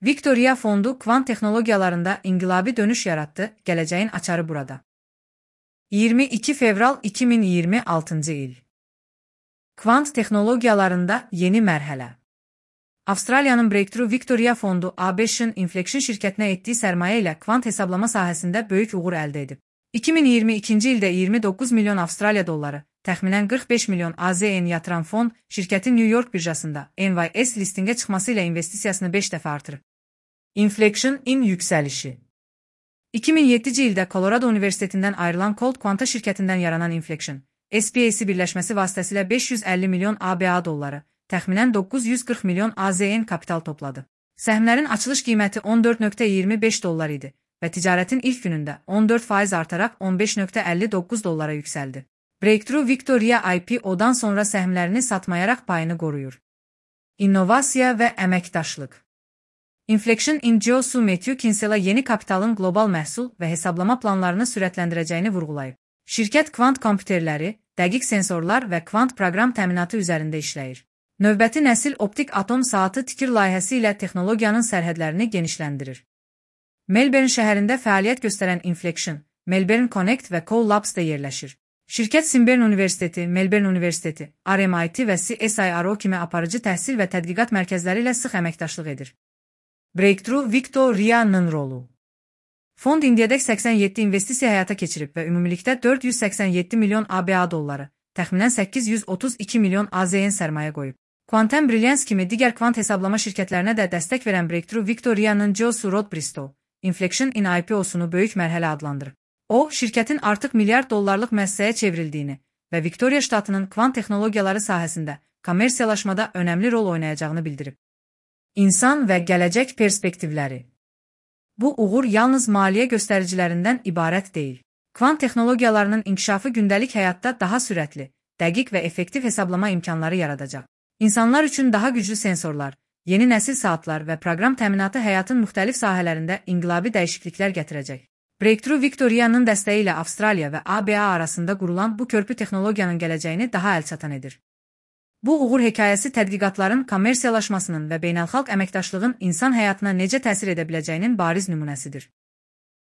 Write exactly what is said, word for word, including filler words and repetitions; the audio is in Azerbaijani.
Victoria Fondu kvant texnologiyalarında inqilabi dönüş yarattı, gələcəyin açarı burada. iyirmi iki fevral iki min iyirmi altıncı il. Kvant texnologiyalarında yeni mərhələ. Avstraliyanın Breakthrough Victoria Fondu A B Ş'ın Inflection şirkətinə etdiyi sərmayə ilə kvant hesablama sahəsində böyük uğur əldə edib. iki min iyirmi ikinci ildə iyirmi doqquz milyon Avstraliya dolları, təxminən qırx beş milyon A Z N yatıran fond, şirkətin New York birjasında N Y S listingə çıxması ilə investisiyasını beş dəfə artırıb. Inflection in yüksəlişi. iki min yeddinci ildə Colorado Universitetindən ayrılan Cold Quanta şirkətindən yaranan Inflection, S P A C birləşməsi vasitəsilə beş yüz əlli milyon A B A dolları, təxminən doqquz yüz qırx milyon A Z N kapital topladı. Səhmlərin açılış qiyməti on dörd nöqtə iyirmi beş dollar idi və ticarətin ilk günündə on dörd faiz artaraq on beş nöqtə əlli doqquz dollara yüksəldi. Breakthrough Victoria I P O'dan sonra səhmlərini satmayaraq payını qoruyur. İnnovasiya və əməkdaşlıq. Inflection in Geosu Matthew Kinsella yeni kapitalın qlobal məhsul və hesablama planlarını sürətləndirəcəyini vurğulayıb. Şirkət kvant kompüterləri, dəqiq sensorlar və kvant proqram təminatı üzərində işləyir. Növbəti nəsil optik atom saatı tikir layihəsi ilə texnologiyanın sərhədlərini genişləndirir. Melbourne şəhərində fəaliyyət göstərən Inflection, Melbourne Connect və Co Labs'da yerləşir. Şirkət Swinburne Universiteti, Melbourne Universiteti, R M I T və C S I R O kimi aparıcı təhsil və tədqiqat mərkəzləri ilə sıx əməkdaşlıq edir. Breakthrough Victoria'nın rolu. Fond indiyədək səksən yeddi investisiya həyata keçirib və ümumilikdə dörd yüz səksən yeddi milyon A B A dolları, təxminən səkkiz yüz otuz iki milyon A Z N sərmayə qoyub. Quantum Brilliance kimi digər kvant hesablama şirkətlərinə də dəstək verən Breakthrough Victoria'nın Geosu Rod Bristow, Inflection in I P O'sunu böyük mərhələ adlandırıb. O, şirkətin artıq milyard dollarlıq müəssisəyə çevrildiyini və Victoria ştatının kvant texnologiyaları sahəsində kommersiyalaşmada önəmli rol oynayacağını bildirib. İnsan və gələcək perspektivləri. Bu uğur yalnız maliyyə göstəricilərindən ibarət deyil. Kvant texnologiyalarının inkişafı gündəlik həyatda daha sürətli, dəqiq və effektiv hesablama imkanları yaradacaq. İnsanlar üçün daha güclü sensorlar, yeni nəsil saatlar və proqram təminatı həyatın müxtəlif sahələrində inqilabi dəyişikliklər gətirəcək. Breakthrough Victoria'nın dəstəyi ilə Avstraliya və A B A arasında qurulan bu körpü texnologiyanın gələcəyini daha əlçatan edir. Bu uğur hekayəsi tədqiqatların kommersiyalaşmasının və beynəlxalq əməkdaşlığın insan həyatına necə təsir edə biləcəyinin bariz nümunəsidir.